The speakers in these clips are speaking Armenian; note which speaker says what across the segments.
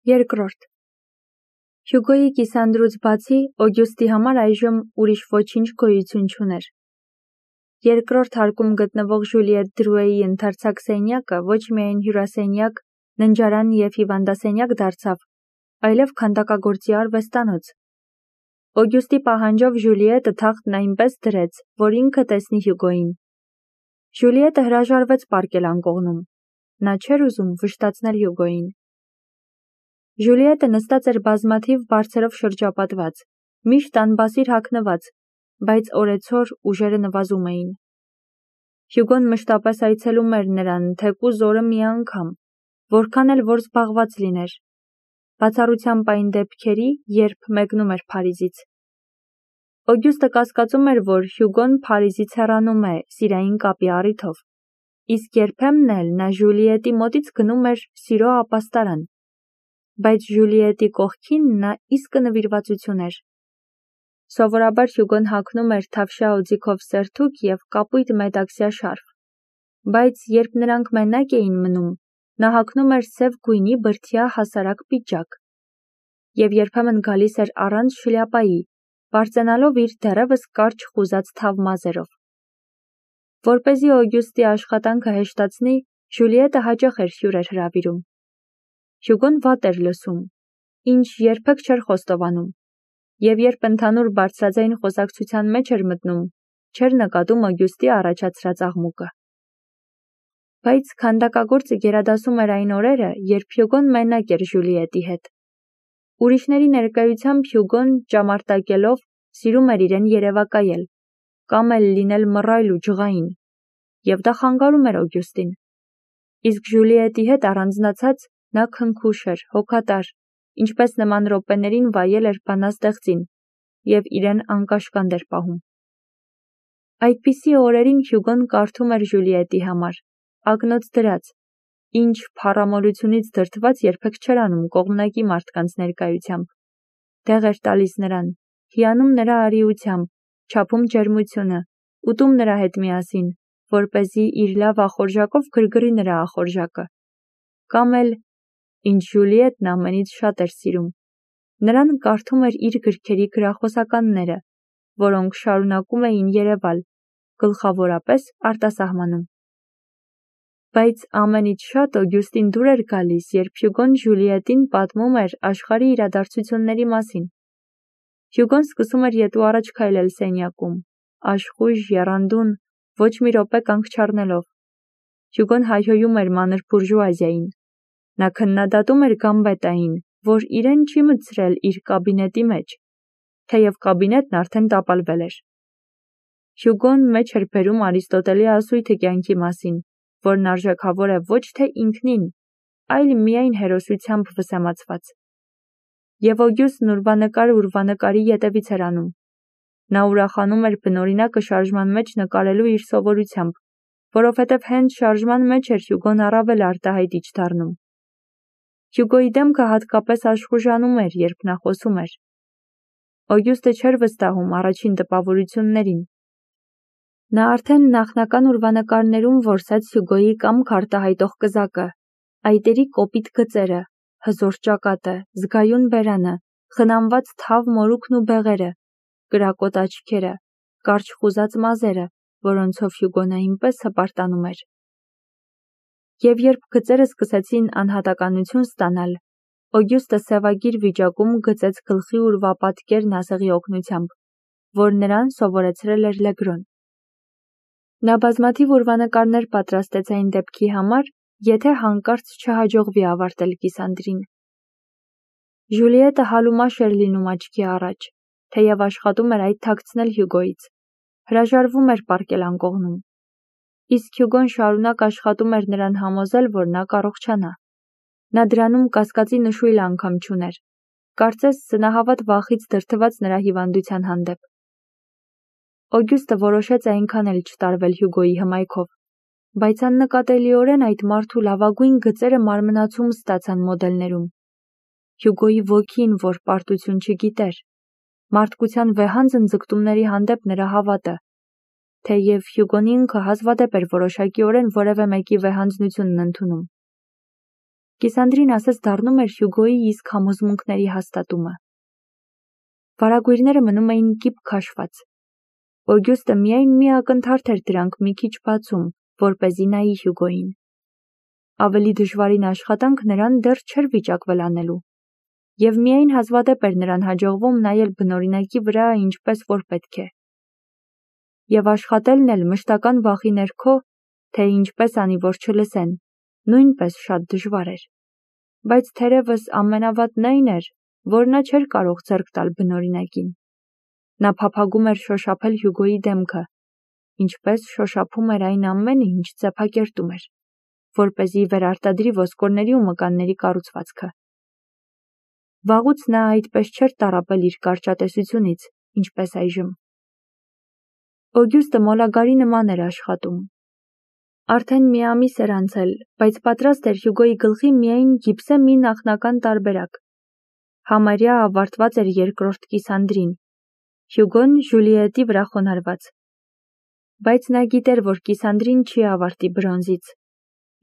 Speaker 1: Երկրորդ։ Հյուգոյի կիսանդրուց բացի Օգյուստի համար այժմ ուրիշ ոչինչ գոյություն չուներ։ Երկրորդ հարկում գտնվող Ժուլիետ Դրուեի ընդարձակ սենյակը ոչ միայն հյուրասենյակ, ննջարան և հիվանդասենյակ դարձավ, այլև քանդակագործի արվեստանոց։ Օգյուստի պահանջով Ժուլիետը թախտն այնպես դրեց, որ ինքը տեսնի Հյուգոյին։ Ժուլիետը հրաժարվեց պառկել անկողնում։ Նա չէր ուզում վշտացնել Հյուգոյին։ Ժուլիետը նստած էր բազմաթիվ բարձերով շրջապատված, միշտ անբասիր հագնված, բայց օրեցօր ուժերը նվազում էին։ Հյուգոն մշտապես այցելում էր նրան, թեկուզ օրը մի անգամ, որքան էլ որ զբաղված լիներ։ Բացառությամբ այն դեպքերի, երբ մեկնում էր Փարիզից։ Օգյուստը կասկածում էր, որ Հյուգոն Փարիզից հեռանում է սիրային կապի առիթով, իսկ երբեմն էլ նա Ժուլիետի մոտից գնում էր սիրո ապաստարան, բայց Ժուլիետի կողքին նա իսկը նվիրվածություն էր։ Սովորաբար Հյուգոն հագնում էր թավշյա օձիքով սերթուկ և կապույտ մետաքսյա շարֆ, բայց երբ նրանք մենակ էին մնում, նա հագնում էր սև գույնի բրդյա հասարակ պիջակ և երբեմն գալիս էր առանց շլյապայի, պարծենալով իր դեռևս կարճ խուզած թավ մազերով։ Որպեսզի Օգյուստի աշխատանքը հեշտացնի, Ժուլիետը հաճախ էր հյուրեր հրավիրում։ Հյուգոն վատ էր լսում, ինչ երբեք չէր խոստովանում, և երբ ընդհանուր բարձրաձայն խոսակցության մեջ էր մտնում, չէր նկատում Օգյուստի առաջացրած աղմուկը։ Բայց քանդակագործը գերադասում էր այն օրերը, երբ Հյուգոն մենակ էր Ժուլիետի հետ։ Ուրիշների ներկայությամբ Հյուգոն ճամարտակելով սիրում էր իրեն երևակայել, կամ էլ լինել մռայլ ու ջղային, և դա խանգարում էր Օգյուստին։ Իսկ Ժուլիետի հետ առանձնացած նա քնքուշ էր, հոգատար, ինչպես նման րոպեներին վայել էր բանաստեղծին և իրեն անկաշկանդ էր պահում։ Այդպիսի օրերին Հյուգոն կարդում էր Ժուլիետի համար, ակնոց դրած, ինչ փառամոլությունից դրդված երբեք չէր անում կողմնակի մարդկանց ներկայությամբ։ Դեղ էր տալիս նրան, հիանում նրա արիությամբ, չափում ջերմությունը, ուտում նրա հետ միասին, որպեսզի իր լավ ախորժակով գրգռի նրա ախորժակը։ Կամ էլ, ինչ Ժուլիետն ամենից շատ էր սիրում, նրան կարդում էր իր գրքերի գրախոսականները, որոնք շարունակում էին երևալ, գլխավորապես արտասահմանում։ Բայց ամենից շատ Օգյուստին դուր էր գալիս, երբ Հյուգոն Ժուլիետին պատմում էր աշխարհի իրադարձությունների մասին։ Հյուգոն սկսում էր ետ ու առաջ քայլել սենյակում, աշխույժ, եռանդուն, ոչ մի րոպե կանգ չառնելով։ Հյուգոն հայհոյում էր մանր բուրժուազիային։ Նա քննադատում էր Գամբետային, որ իրեն չի մտցրել իր կաբինետի մեջ, թեև կաբինետն արդեն տապալվել էր։ Հյուգոն մեջ էր բերում Արիստոտելի ասույթը կյանքի մասին, որն արժեքավոր է ոչ թե ինքնին, այլ միայն հերոսությամբ վսեմացված։ Եվ Օգյուստն ուրվանկարի ետևից էր անում։ Նա ուրախանում էր բնօրինակը շարժման մեջ նկարելու իր սովորությամբ, որովհետև հենց շարժման մեջ էր Հյուգոն առավել արտահայտիչ դառնում։ Հյուգոյի դեմքը հատկապես աշխուժանում էր, երբ նա խոսում էր։ Օգյուստը չէր վստահում առաջին տպավորություններին։ Նա արդեն նախնական ուրվանկարներում որսեց Հյուգոյի կամք արտահայտող կզակը, այտերի կոպիտ գծերը, հզոր ճակատը, զգայուն բերանը, խնամված թավ մորուքն ու բեղերը, կրակոտ աչքերը, կարճ խուզած մազերը, որոնցով Հյուգոն այնպես հպարտանում էր։ Եվ երբ գծերը սկսեցին անհատականություն ստանալ, Օգյուստը սևագիր վիճակում գծեց գլխի ուրվապատկերն ասեղի օգնությամբ, որ նրան սովորեցրել էր Լեգրոն։ Նա բազմաթիվ ուրվանկարներ պատրաստեց այն դեպքի համար, եթե հանկարծ չհաջողվի ավարտել կիսանդրին։ Ժուլիետը հալումաշ էր լինում աչքի առաջ, թեև աշխատում էր այդ թաքցնել Հյուգոյից, հրաժարվում էր պառկել անկողնում։ Իսկ Հյուգոն շարունակ աշխատում էր նրան համոզել, որ նա կառողջանա։ Նա դրանում կասկածի նշույլ անգամ չուներ, կարծես սնահավատ վախից դրդված նրա հիվանդության հանդեպ։ Օգյուստը որոշեց այնքան էլ չտարվել Հյուգոյի հմայքով, բայց աննկատելիորեն այդ մարդու լավագույն գծերը մարմնացում ստացան մոդելներում։ Հյուգոյի ոգին, որ պարտություն չգիտեր, մարդկության վեհանձն ձգտումների հանդեպ նրա հավատը, թեև Հյուգոն ինքը հազվադեպ էր որոշակիորեն որևէ մեկի վեհանձնությունն ընդունում։ Կիսանդրին ասես դառնում էր Հյուգոյի իսկ համոզմունքների հաստատումը։ Վարագույրները մնում էին կիպ քաշված։ Օգյուստը միայն մի ակնթարթ էր դրանք մի քիչ բացում, որպեսզի նայի Հյուգոյին։ Ավելի դժվարին աշխատանք նրան դեռ չէր վիճակվել անելու, և միայն հազվադեպ էր նրան հաջողվում նայել բնօրինակի վրա ինչպես որ պետք է։ Եվ աշխատելն էլ մշտական վախի ներքո, թե ինչպես անի, որ չլսեն, նույնպես շատ դժվար էր։ Բայց թերևս ամենավատն այն էր, որ նա չէր կարող ձեռք տալ բնօրինակին։ Նա փափագում էր շոշափել Հյուգոյի դեմքը, ինչպես շոշափում էր այն ամենը, ինչ ծեփակերտում էր, որպեսզի վերարտադրի ոսկորների ու մկանների կառուցվածքը։ Վաղուց նա այդպես չէր տառապել իր կարճատեսությունից, ինչպես այժմ։ Օգյուստը մոլագարի նման էր աշխատում։ Արդեն մի ամիս էր անցել, բայց պատրաստ էր Հյուգոյի գլխի միայն գիպսե մի նախնական տարբերակ։ Համարյա ավարտված էր երկրորդ կիսանդրին, Հյուգոն Ժուլիետի վրա խոնարհված։ Բայց նա գիտեր, որ կիսանդրին չի ավարտի բրոնզից։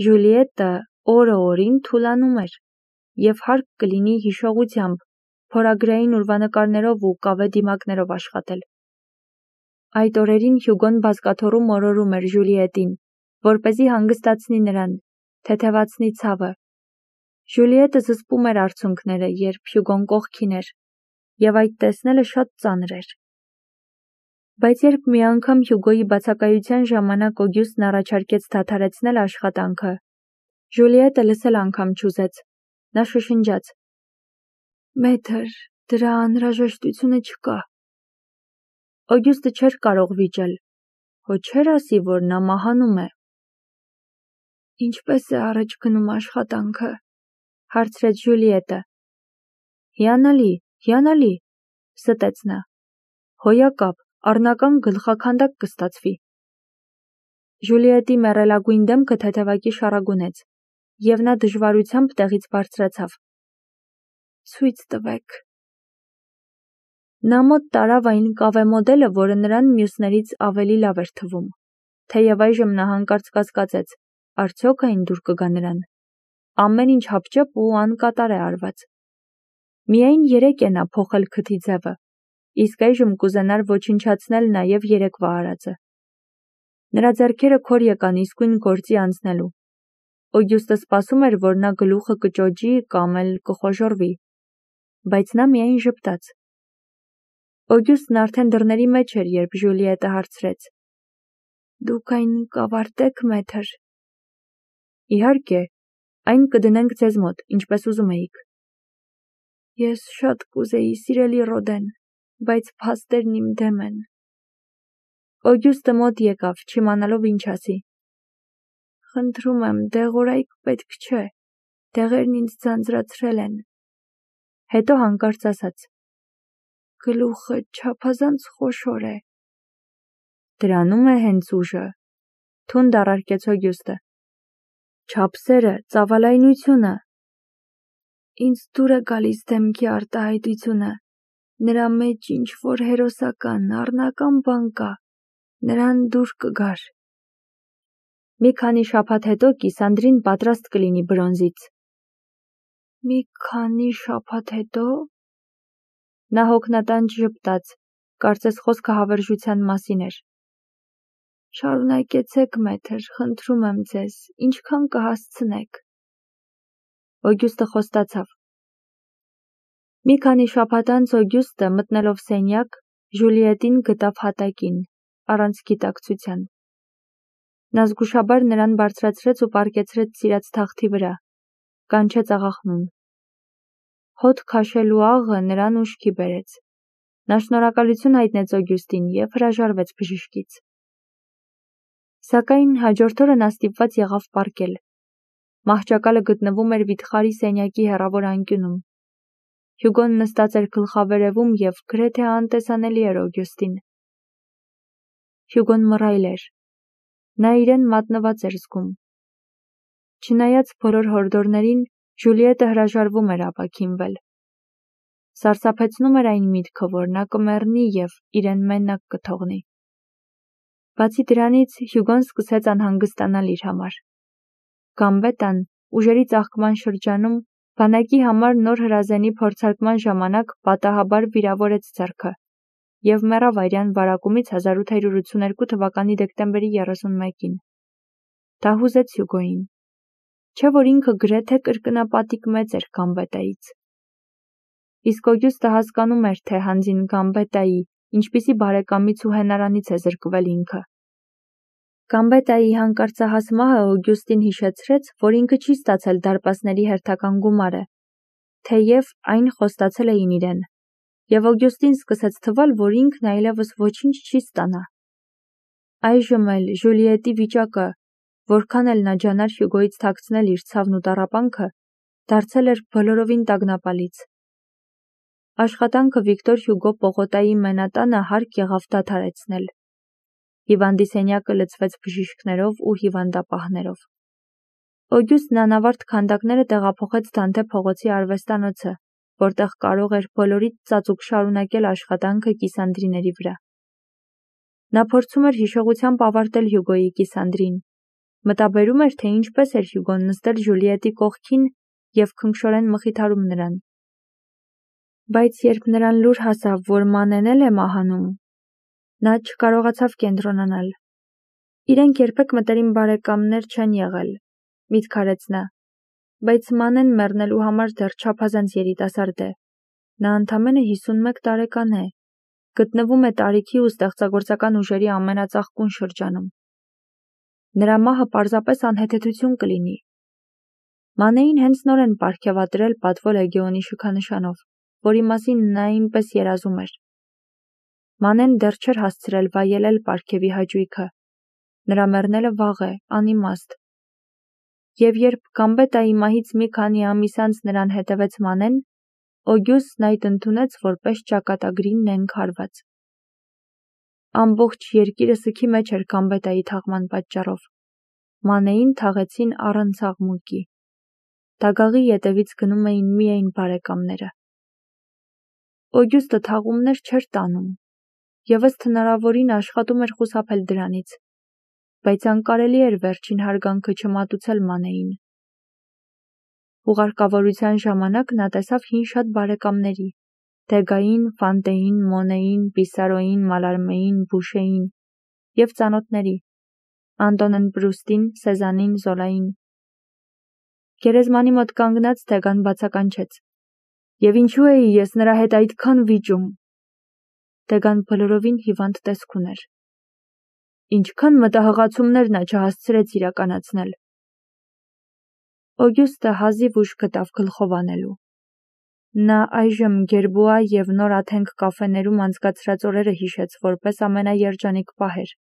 Speaker 1: Ժուլիետը օրը օրին թուլանում էր, և հարկ կլինի հիշողությամբ, փորագրային ուրվանկարներով ու կավե դիմակներով աշխատել։ Այդ օրերին Հյուգոն բազկաթոռում մորորում էր Ժուլիետին, որպեսզի հանգստացնի նրան, թեթևացնի ցավը։ Ժուլիետը զսպում էր արցունքները, երբ Հյուգոն կողքին էր, և այդ տեսնելը շատ ծանր էր։ Բայց երբ մի անգամ Հյուգոյի բացակայության ժամանակ Օգյուստն առաջարկեց դադարեցնել աշխատանքը, Ժուլիետը լսել անգամ չուզեց։ Նա շշնջաց. «Մեթր, դրա անհրաժեշտությունը չկա»։ Օգյուստը չէր կարող վիճել, հո չէր ասի, որ նա մահանում է։ «Ինչպես է առաջ գնում աշխատանքը», հարցրեց Ժուլիետը։ «Հիանալի, հիանալի», ստեց նա։ «Հոյակապ, առնական գլխաքանդակ կստացվի»։ Ժուլիետի մեռելագույն դեմքը թեթևակի շառագունեց, և նա դժվարությամբ տեղից բարձրացավ։ «Ցույց տվեք»։ Նա մոտ տարավ այն կավե մոդելը, որը նրան մյուսներից ավելի լավ էր թվում, թեև այժմ նա հանկարծ կասկածեց, արդյոք այն դուր կգա նրան։ Ամեն ինչ հապճեպ ու անկատար է արված։ Միայն երեկ է նա փոխել քթի ձևը, իսկ այժմ կուզենար ոչնչացնել նաև երեկվա արածը։ Նրա ձեռքերը քոր եկան իսկույն գործի անցնելու։ Օգյուստը սպասում էր, որ նա գլուխը կճոճի կամ էլ կխոժոռվի, բայց նա միայն ժպտաց։ Օգյուստն արդեն դռների մեջ էր, երբ Ժուլիետը հարցրեց. «Դուք այն կավարտեք, մեթր»։ «Իհարկե, այն կդնենք ձեզ մոտ, ինչպես ուզում էիք»։ «Ես շատ կուզեի, սիրելի Ռոդեն, բայց փաստերն իմ դեմ են»։ Օգյուստը մոտ եկավ, չիմանալով ինչ ասի։ «Խնդրում եմ, դեղորայք պետք չէ, դեղերն ինձ ձանձրացրել են»։ Հետո հանկարծ ասաց. «Գլուխը չափազանց խոշոր է»։ Դրանում է հենց ուժը, թունդ առարկեց Օգյուստը։ Չափսերը, ծավալայնությունը։ Ինձ դուր է գալիս դեմքի արտահայտությունը, նրա մեջ ինչ-որ հերոսական, առնական բան կա, նրան դուր կգար։ Մի քանի շաբաթ հետո կիսանդրին պատրաստ կլինի բրոնզից։ Մի քանի շաբաթ հետո։ Նա հոգնատանջ ժպտաց, կարծես խոսքը հավերժության մասին էր։ Շարունակեցեք, մեթր, խնդրում եմ ձեզ, ինչքան կհասցնեք։ Օգյուստը խոստացավ։ Մի քանի շաբաթ անց Օգյուստը, մտնելով սենյակ, Ժուլիետին գտավ հատակին, առանց գիտակցության։ Նա զգուշաբար նրան բարձրացրեց ու պառկեցրեց սիրած թախթի վրա, կանչեց աղախնուն։ Հոտ քաշելու աղը նրան ուշքի բերեց։ Նա շնորհակալություն հայտնեց Օգյուստին և հրաժարվեց բժշկից։ Սակայն հաջորդ օրը նա ստիպված եղավ պառկել։ Մահճակալը գտնվում էր վիթխարի սենյակի հեռավոր անկյունում։ Հյուգոն նստած էր գլխավերևում և գրեթե անտեսանելի էր Օգյուստին։ Հյուգոն մռայլ էր։ Նա իրեն մատնված էր զգում։ Չնայած բոլոր հորդորներին, Ժուլիետը հրաժարվում էր ապաքինվել։ Սարսափեցնում էր այն միտքը, որ նա կմեռնի և իրեն մենակ կթողնի։ Բացի դրանից, Հյուգոն սկսեց անհանգստանալ իր համար։ Գամբետան, ուժերի ծաղկման շրջանում, բանակի համար նոր հրազենի փորձարկման ժամանակ պատահաբար վիրավորեց ձեռքը և մեռավ արյան վարակումից 1882 թվականի դեկտեմբերի 31-ին։ Դա հուզեց Հյուգոյին, չէ՞ որ ինքը գրեթե կրկնապատիկ մեծ էր Գամբետայից։ Իսկ Օգյուստը հասկանում էր, թե հանձին Գամբետայի, ինչպիսի բարեկամից ու հենարանից է զրկվել ինքը։ Գամբետայի հանկարծահաս մահը Օգյուստին հիշեցրեց, որ ինքը չի ստացել դարպասների հերթական գումարը, թեև այն խոստացել էին իրեն, և Օգյուստին սկսեց թվալ, որ ինքն այլևս ոչինչ չի ստանա։ Այժմ էլ Ժուլիետի վիճակը, որքան էլ նա ջանար Հյուգոյից թաքցնել իր ցավն ու տառապանքը, դարձել էր բոլորովին տագնապալից։ Աշխատանքը Վիկտոր Հյուգո պողոտայի մենատանը հարկ եղավ դադարեցնել։ Հիվանդի սենյակը լցվեց բժիշկներով ու հիվանդապահներով։ Օգյուստն անավարտ քանդակները տեղափոխեց Դանթե փողոցի արվեստանոցը, որտեղ կարող էր բոլորից ծածուկ շարունակել աշխատանքը կիսանդրիների վրա։ Նա փորձում էր հիշողությամբ ավարտել Հյուգոյի կիսանդրին, մտաբերում էր, թե ինչպես էր Հյուգոն նստել Ժուլիետի կողքին և քնքշորեն մխիթարում նրան։ Բայց երբ նրան լուր հասավ, որ Մանեն էլ է մահանում, նա չկարողացավ կենտրոնանալ։ Իրենք երբեք մտերիմ բարեկամներ չեն եղել, միտք արեց նա, բայց Մանեն մեռնելու համար դեռ չափազանց երիտասարդ է։ Նա ընդամենը 51 տարեկան է, գտնվում է տարիքի ու ստեղծագործական ուժերի ամենածաղկուն շրջանում։ Նրա մահը պարզապես անհեթեթություն կլինի։ Մանեին հենց նոր են պարգևատրել Պատվո լեգեոնի շքանշանով, որի մասին նա այնպես երազում էր։ Մանեն դեռ չէր հասցրել վայելել պարգևի հաճույքը։ Նրա մեռնելը վաղ է, անիմաստ։ Եվ երբ Գամբետայի մահից մի քանի ամիս անց նրան հետևեց Մանեն, Օգյուստն այդ ընդունեց որպես ճակատագրի նենգ հարված։ Ամբողջ երկիրը սգի մեջ էր Գամբետայի թաղման պատճառով։ Մանեին թաղեցին առանց աղմուկի։ Դագաղի ետևից գնում էին միայն բարեկամները։ Օգյուստը թաղումներ չէր տանում, և ըստ հնարավորին աշխատում էր խուսափել դրանից, բայց անկարելի էր վերջին հարգանքը չմատուցել Մանեին։ Ուղարկավորության ժամանակ նա տեսավ հին շատ բարեկամների՝ Դեգային, Ֆանտեին, Մոնեին, Պիսարոյին, Մալարմեին, Բուշեին և ծանոթների՝ Անտոնեն Պրուստին, Սեզանին, Զոլային։ Գերեզմանի մոտ կանգնած Դեգան բացականչեց. «Եվ ինչու էի ես նրա հետ այդքան վիճում»։ Դեգան բոլորովին հիվանդ տեսք ուներ։ Ինչքան մտահղացումներ նա չհասցրեց իրականացնել։ Օգյուստը հազիվ ուժ գտավ գլխով անելու։ Նա այժմ Գերբուա և նոր Աթենք կաֆեներում անցկացրած օրերը հիշեց որպես ամենաերջանիկ պահեր։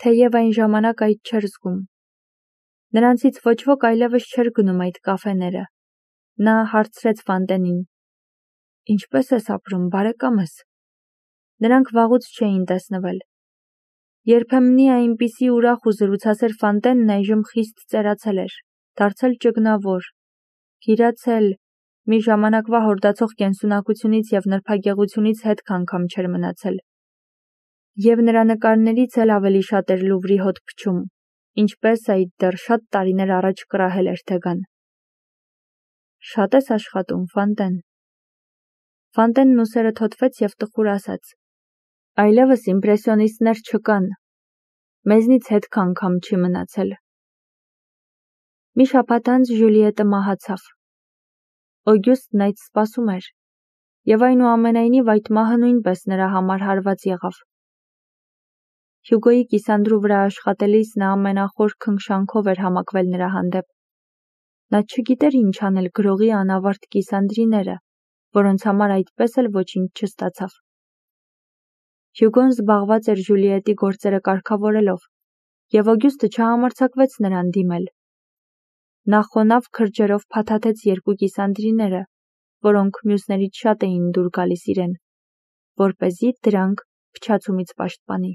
Speaker 1: Թեև այն ժամանակ այդ չէր զգում։ Նրանցից ոչ ոք այլևս չէր գնում այդ կաֆեները։ Նա հարցրեց Ֆանտենին. «Ինչպես ես ապրում, բարեկամս»։ Նրանք վաղուց չէին տեսնվել։ Երբեմնի այնպիսի ուրախ ու զրուցասեր Ֆանտենն այժմ խիստ ծերացել էր, դարձել ճգնավոր, գիրացել, մի ժամանակվա հորդացող կենսունակությունից և նրբագեղությունից հետք անգամ չէր մնացել։ Եվ նրա նկարներից էլ ավելի շատ էր Լուվրի հոտ փչում, ինչպես այդ դեռ շատ տարիներ առաջ կռահել էր Դեգան։ «Շատ ես աշխատում, Ֆանտեն»։ Ֆանտենն ուսերը թոթվեց և տխուր ասաց. «Այլևս իմպրեսիոնիստներ չկան, մեզնից հետք անգամ չի մնացել»։ Մի շաբաթ անց Ժուլիետը մահացավ։ Օգյուստն այդ սպասում էր, և այնուամենայնիվ այդ մահը նույնպես նրա համար հարված եղավ։ Հյուգոյի կիսանդրու վրա աշխատելիս նա ամենախոր քնքշանքով էր համակվել նրա հանդեպ։ Նա չգիտեր ինչ անել գրողի անավարտ կիսանդրիները, որոնց համար այդպես էլ ոչինչ չստացավ։ Հյուգոն զբաղված էր Ժուլիետի գործերը կարգավորելով, և Օգյուստը չհամարձակվեց նրան դիմել։ Նա խոնավ քրջերով փաթաթեց երկու կիսանդրիները, որոնք մյուսներից շատ էին դուր գալիս իրեն, որպեսզի դրանք փչացումից պաշտպանի։